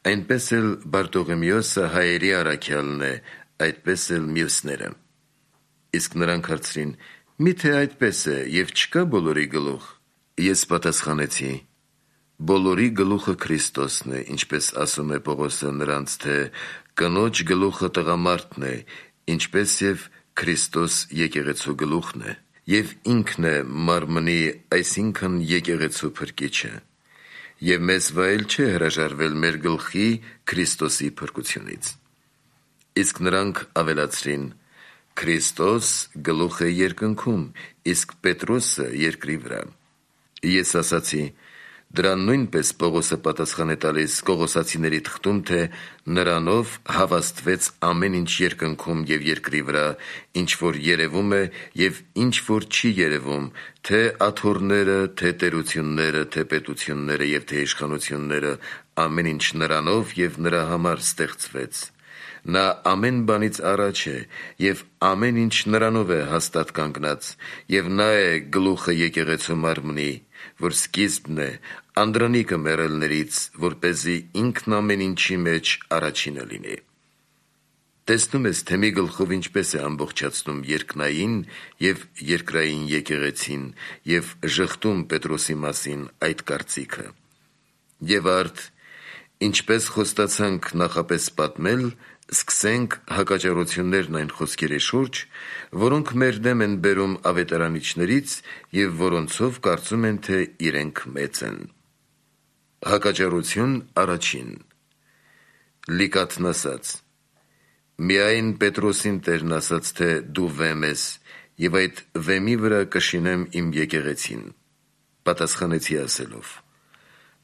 S1: այնպես էլ Բարտողոմեոսը հայերի առաքյալն է, այդպես էլ մյուսները։ Իսկ նրանք հարցրին. միթե այդպես է և չկա բոլորի գլուխ։ Ես պատասխանեցի. բոլորի գլուխը Քրիստոսն է, ինչպես ասում է Պողոսը նրանց, թե կնոջ գլուխը տղամարդն է, ինչպես և Քրիստոս եկեղեցու գլուխն է, և ինքն է մարմնի, այսինքն եկեղեցու փրկիչը։ Եվ մեզ վայել չէ հրաժարվել մեր գլխի Քրիստոսի փրկությունից։ Իսկ նրանք ավելացրին. Քրիստոս գլուխ է երկնքում, իսկ Պետրոսը երկրի վրա։ Ես ասացի. դրան նույնպես Պողոսը պատասխան է տալիս Կողոսացիների թղթում, թե նրանով հավաստվեց ամեն ինչ երկնքում և երկրի վրա, ինչ որ երևում է և ինչ որ չի երևում, թե աթոռները, թե տերությունները, թե պետությունները և թե իշխանությունները, ամեն ինչ նրանով և նրա համար ստեղծվեց։ Նա ամեն բանից առաջ է, և ամեն ինչ նրանով է հաստատ կանգնած, և նա է գլուխը եկեղեցու մարմնի, որ սկիզբն է, անդրանիկը մեռելներից, որպեսզի ինքն ամեն ինչի մեջ առաջինը լինի։ Տեսնում ես, թե մի գլխով ինչպես է ամբողջացնում երկնային և երկրային եկեղեցին և ժխտում Պետրոսի մասին այդ կարծիքը։ Եվ արդ, ինչպես խոստացանք նախապես պատմել, սկսենք հակաճառություններն այն խոսքերի շուրջ, որոնք մեր դեմ են բերում ավետարանիչներից և որոնցով կարծում են, թե իրենք մեծ են։ Հակաճառություն առաջին։ Լիկաթն ասաց. միայն Պետրոսին Տերն ասաց, թե դու վեմ ես, և այդ վեմի վրա կշինեմ իմ եկեղեցին։ Պատասխանեցի ասելով.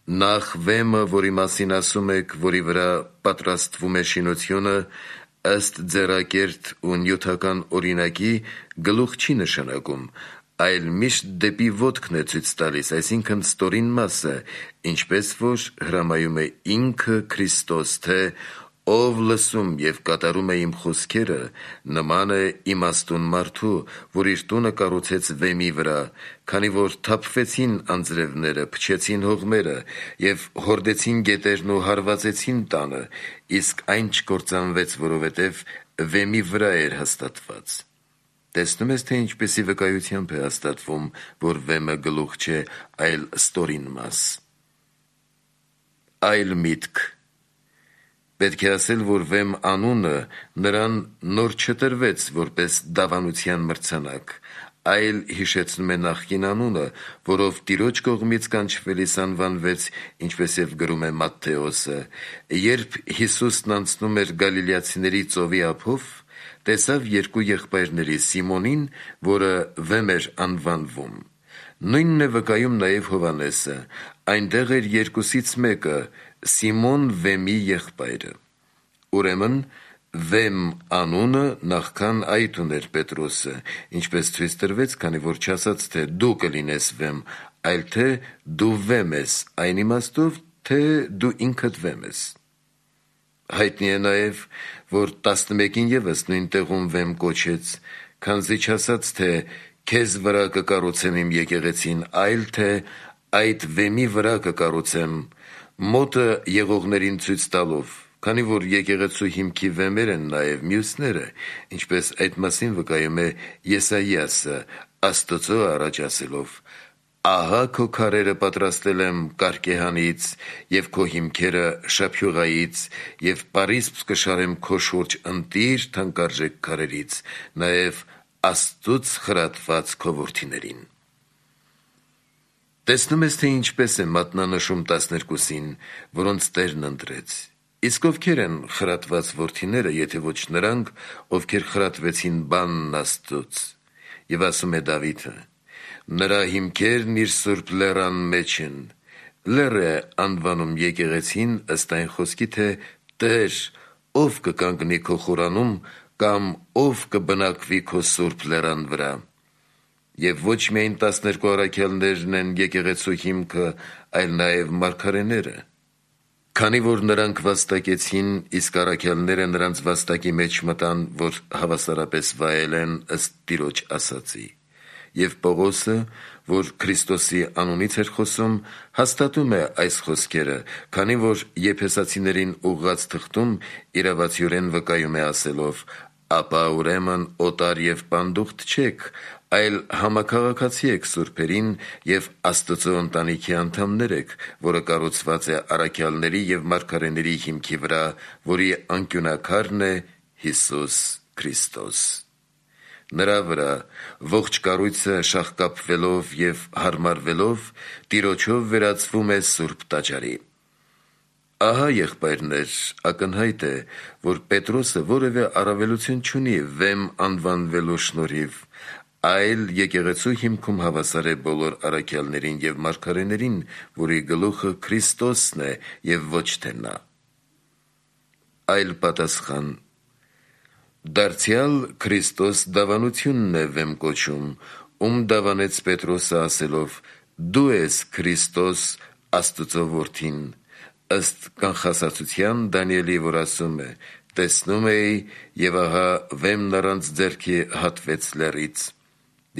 S1: նախ վեմը, որի մասին ասում եք, որի վրա պատրաստվում է շինությունը, ըստ ձեռակերտ ու նյութական օրինակի, գլուխ չի նշանակում, այլ միշտ դեպի ոտքն է ցույց տալիս, այսինքն ստորին մասը, ինչպես որ հրամայում է ինքը Քրիստոս, թե ով լսում և կատարում է իմ խոսքերը, նման է իմաստուն մարդու, որ իր տունը կառուցեց վեմի վրա, քանի որ թափվեցին անձրևները, փչեցին հողմերը և հորդեցին գետերն ու հարվածեցին տանը, իսկ այն չկործանվեց, որովհետև վեմի վրա էր հաստատված։ Տեսնում ես, թե ինչպիսի վկայությամբ է հաստատվում, որ վեմը գլուխ չէ, այլ ստորին մաս։ Այլ միտք. պետք է ասել, որ վեմ անունը նրան նոր չտրվեց որպես դավանության մրցանակ, այլ հիշեցնում է նախկին անունը, որով Տիրոջ կողմից կանչվելիս անվանվեց, ինչպես և գրում է Մատթեոսը, երբ Հիսուսն անցնում էր գալիլեացիների ծովի ափով, տեսավ երկու եղբայրների Սիմոնին, որը վեմ էր անվանվում։ Նույնն է վկայում նաև Հովհաննեսը, այնտեղ էր երկուսից մեկը, Սիմոն վեմի եղբայրը։ Ուրեմն վեմ անունը նախքան այդ ուներ Պետրոսը, ինչպես ցույց տրվեց, քանի որ չասաց, թե դու կլինես վեմ, այլ թե դու վեմ ես, այն իմաստով, թե դու ինքդ վեմ ես։ Հայտնի է նաև, որ տասնմեկին ևս նույն տեղում վեմ կոչեց, քանզի չասաց, թե քեզ վրա կկառուցեմ իմ եկեղեցին, այլ թե այդ վեմի վրա կկառուցեմ, մոտը եղողներին ցույց տալով, քանի որ եկեղեցու հիմքի վեմեր են նաև մյուսները, ինչպես այդ մասին վկայում է Եսայիասը, Աստծո առաջ ասելով. «Ահա քո քարերը պատրաստել եմ կարկեհանից և քո հիմքերը շափյուղայից և պարիսպ կշարեմ քո շուրջ ընտիր թանկարժեք քարերից, նաև Աստծուց խրատված քո որդիներին»։ Տեսնում ես, թե ինչպես է մատնանշում տասներկուսին, որոնց Տերն ընտրեց։ Իսկ ովքեր են խրատված որդիները, եթե ոչ նրանք, ովքեր խրատվեցին բանն Աստծուց։ Եվ ասում է Դավիթը. «Նրա հիմքերն իր սուրբ լեռան մեջ են»։ Լեռ է անվանում եկեղեցին ըստ այն խոսքի, թե Տեր, ով կկանգնի քո խորանում, կամ ով կբնակվի քո սուրբ լեռան վրա։ Եվ ոչ միայն տասներկու առաքյալներն են եկեղեցու հիմքը, այլ նաև մարգարեները։ Քանի որ նրանք վաստակեցին, իսկ առաքյալները նրանց վաստակի մեջ մտան, որ հավասարապես վայելեն ըստ Տիրոջ ասածի։ Եվ Պողոսը, որ Քրիստոսի անունից էր խոսում, հաստատում է այս խոսքերը, քանի որ Եփեսացիներին ուղղված թղթում իրավացիորեն վկայում է ասելով. «Ապա ուրեմն օտար և պանդուխտ չեք, այլ համաքաղաքացի եք սուրբերին և Աստծո ընտանիքի անդամներ եք, որը կառուցված է առաքյալների և մարգարեների հիմքի վրա, որի անկյունաքարն է Հիսուս Քրիստոս։ Նրա վրա ողջ կառույցը շաղկապվելով և հարմարվելով Տիրոջով վերածվում է Սուրբ Տաճարի»։ Ահա, եղբայրներ, ակնհայտ է, որ Պետրոսը որևէ առավելություն չունի վեմ անվանվելու շնորհիվ, այլ եկեղեցու հիմքում հավասար է բոլոր առաքյալներին և մարգարեներին, որի գլուխը Քրիստոսն է և ոչ թե նա։ Այլ պատասխան. դարձյալ Քրիստոս դավանությունն է վեմ կոչում, ում դավանեց Պետրոսը ասելով. «Դու ես Քրիստոս, Աստծո որդին», ըստ կանխասացության Դանիելի, որ ասում է. «Տեսնում էի, և ահա վեմն առանց ձեռքի հատվեց լեռից»։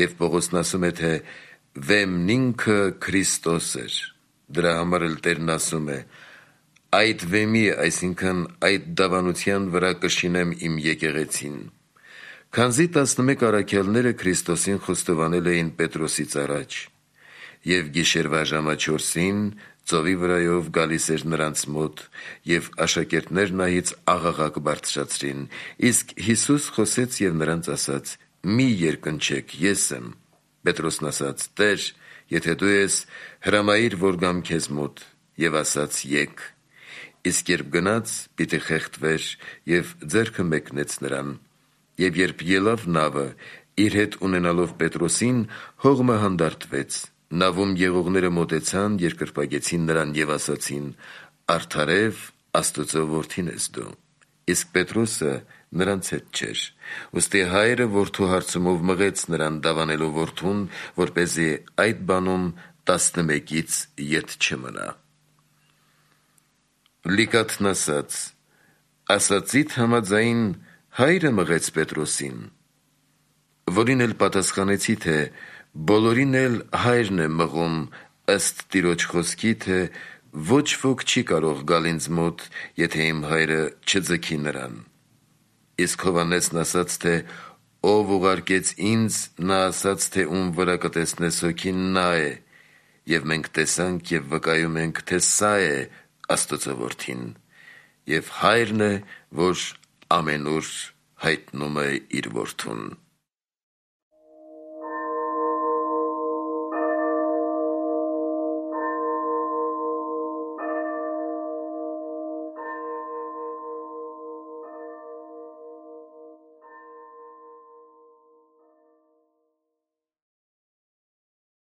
S1: Եվ Պողոսն ասում է, թե վեմն ինքը Քրիստոս էր։ Դրա համար էլ Տերն ասում է. «Այդ վեմի, այսինքն այդ դավանության վրա կշինեմ իմ եկեղեցին»։ Քանզի տասնմեկ առաքյալները Քրիստոսին խոստովանել էին Պետրոսից առաջ։ Եվ գիշերվա ժամը չորսին ծովի վրայով գալիս էր նրանց մոտ, և աշակերտներն ահից աղաղակ բարձրացրին, իսկ Հիսուս խոսեց և նրանց ասաց. «Մի երկնչեք, ես եմ»։ Պետրոսն ասաց. «Տեր, եթե դու ես, հրամայիր, որ գամ քեզ մոտ»։ Եվ ասաց. «Եկ»։ Իսկ երբ գնաց, պիտի խեղդվեր, և ձեռքը մեկնեց նրան։ Եվ երբ ելավ նավը, իր հետ ունենալով Պետրոսին, հողմը հանդարտվեց։ Նավում եղողները մոտեցան, երկրպագեցին նրան և ասացին. «Արդարև Աստծո որդին ես դու»։ Իսկ Պետրոսը նրանց հետ չէր։ Ուստի հայրը որդու հարցումով մղեց նրան դավանելու որդուն, որպեսզի այդ բանում տասնմեկից ետ չմնա։ Լիկաթն ասաց. «Ասածիդ համաձայն հայրը մղեց Պետրոսին»։ Որին էլ պատասխանեցի, թե բոլորին էլ հայրն է մղում, ըստ Տիրոջ խոսքի, թե ոչ ոք չի կարող գալ ինձ մոտ, եթե իմ հայրը չձգի նրան։ Իսկ Հովհաննեսն ասաց, թե ով ուղարկեց ինձ, նա ասաց, թե ում վրա կտեսնես հոգին, նա է, և մենք տեսանք և վկայում ենք, թե սա է Աստծո որդին։ Եվ հայրն է, որ ամենուր հայտնում է իր որդուն։